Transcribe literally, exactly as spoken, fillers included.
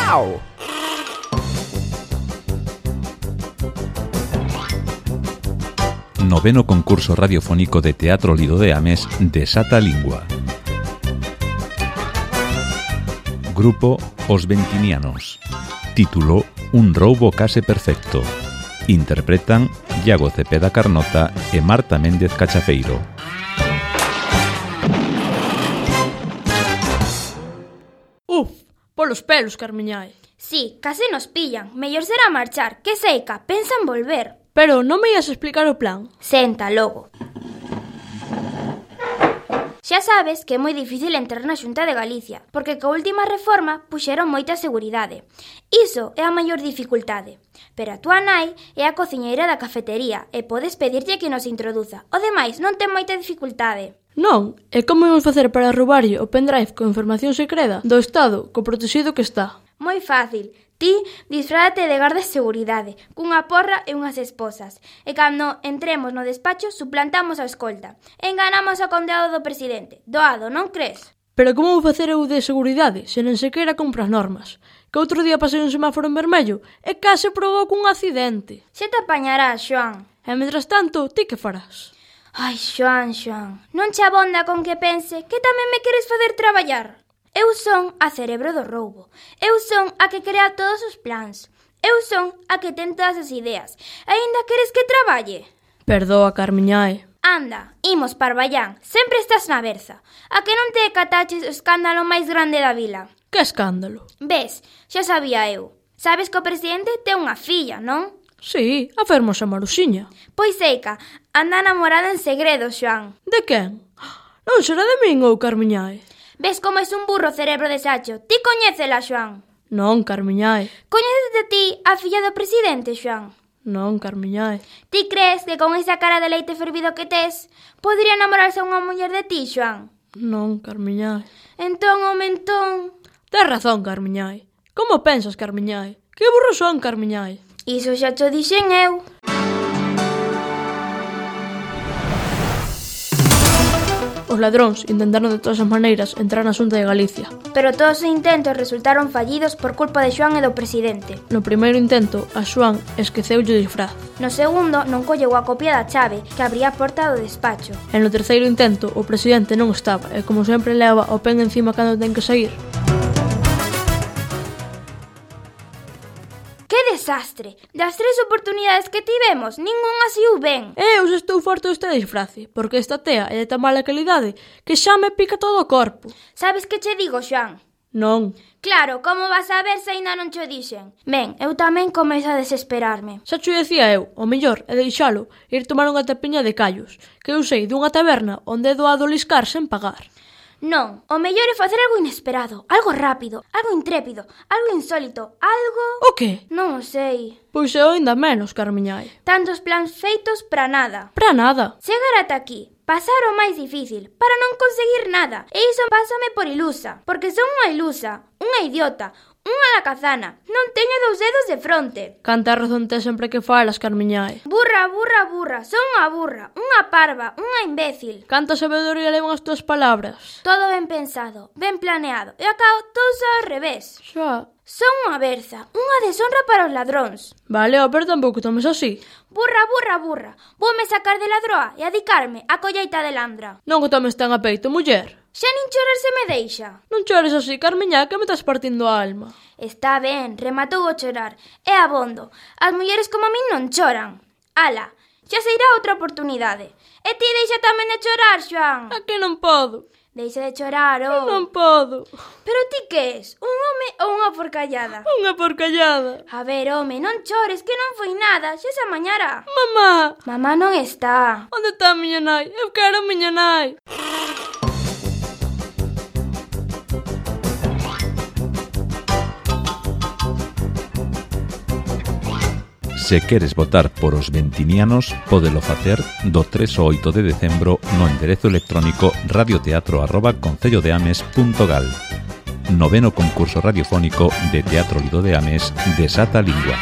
Miau. Noveno concurso radiofónico de Teatro Lido de Ames Desata a Lingua. Grupo Os Ventinianos. Título Un roubo case perfecto. Interpretan Iago Cepeda Carnota e Marta Méndez Cachafeiro. Uf, polos pelos, Carmiñai. Sí, case nos pillan. Mellor será marchar, que seica, pensan volver. Pero non me ias explicar o plan. Senta, logo. Xa sabes que é moi difícil entrar na Xunta de Galicia, porque coa última reforma puxeron moita seguridade. Iso é a maior dificultade. Pero a túa nai é a cociñeira da cafetería e podes pedirlle que nos introduza. O demais non ten moita dificultade. Non, e como imos facer para roubarlle o pendrive con información secreta do Estado co protegido que está? Moi fácil. Ti disfrázate de garda de seguridade, cunha porra e unhas esposas. E cando entremos no despacho, suplantamos a escolta. Enganamos ao condeado do presidente. Doado, non crees? Pero como vou facer eu de seguridade se nen sequera compro as normas? Que outro día pasei un semáforo en vermello e case provoco un accidente. Se te apañarás, Xoán. E mentras tanto, ti que farás? Ai, Xoán, Xoán, non che abonda con que pense que tamén me queres facer traballar? Eu son a cerebro do roubo. Eu son a que crea todos os plans. Eu son a que ten todas as ideas. Aínda queres que traballe? Perdoa, Carmiñai. Anda, imos Parvallán. Sempre estás na berza. A que non te decataches o escándalo máis grande da vila? Que escándalo? Ves, xa sabía eu. Sabes que o presidente ten unha filla, non? Sí, a fermosa Maruxiña. Pois eica, anda namorada en segredo, Xoán. De quen? Non será de min ou Carmiñai? Ves como es un burro cerebro de sacho. Ti coñécela, Xoán? Non, Carmiñai. Coñécete ti a filla do presidente, Xoán? Non, Carmiñai. Ti crees que con esa cara de leite fervido que tes podría namorarse unha muller de ti, Xoán? Non, Carmiñai. Entón, o mentón... Tes razón, Carmiñai. Como pensas, Carmiñai? Que burro son, Carmiñai? Iso xa cho dixen eu. Os ladróns intentaron de todas as maneiras entrar na Xunta de Galicia. Pero todos os intentos resultaron fallidos por culpa de Xoán e do presidente. No primeiro intento, a Xoán esqueceulle o disfraz. No segundo, non colleu a copia da chave que abría a porta do despacho. E no terceiro intento, o presidente non estaba e, como sempre, leva o pen encima cando ten que sair. ¡Que desastre! Das tres oportunidades que tivemos, ningunha saiu ben. Eu xa estou farto deste disfrace, porque esta tea é de tan mala calidade que xa me pica todo o corpo. Sabes que che digo, Xoán? Non. Claro, como vas a ver se ainda non cho dixen? Ben, eu tamén comezo a desesperarme. Xa cho dicía eu, o mellor é deixalo ir tomar unha tapiña de callos, que eu sei dunha taberna onde é doado liscar sen pagar. Non, o mellor é facer algo inesperado, algo rápido, algo intrépido, algo insólito, algo... O que? Non o sei. Pois eu ainda menos, Carmiñai. Tantos plans feitos para nada. Para nada. Chegar ata aquí, pasar o máis difícil, para non conseguir nada. E iso pásame por ilusa, porque son unha ilusa, unha idiota, unha alacazana. Non teño dous dedos de fronte. Canta razón tes sempre que falas, Carmiñai. Burra, burra, burra, son unha burra, unha parva, unha imbécil. Canta sabedoría levan as túas palabras. Todo ben pensado, ben planeado, e acabo todo só ao revés. Xa. Son unha berza, unha deshonra para os ladróns. Vale, pero tampouco tomes así. Burra, burra, burra. Voume sacar de ladroa e adicarme a colleita de landra. Non que tomes tan a peito, muller. Xa nin chorar se me deixa. Non chores así, Carmiña, que me estás partindo a alma. Está ben, rematou o chorar. É abondo. As mulleres como a min non choran. Ala, xa se irá outra oportunidade. E ti deixa tamén de chorar, Xoán. A que non podo? Deixa de chorar, oh. Non podo. Pero ti que és? Un home ou unha porcallada? Unha porcallada. A ver, home, non chores, que non foi nada. Xa se amañará. Mamá. Mamá non está. Onde está a miña nai? Eu quero a miña nai. Se queres votar por os ventinianos, pódelo facer do tres ao oito de decembro no enderezo electrónico radioteatro arroba concellodeames punto gal. Noveno concurso radiofónico de Teatro Lido de Ames Desata a Lingua.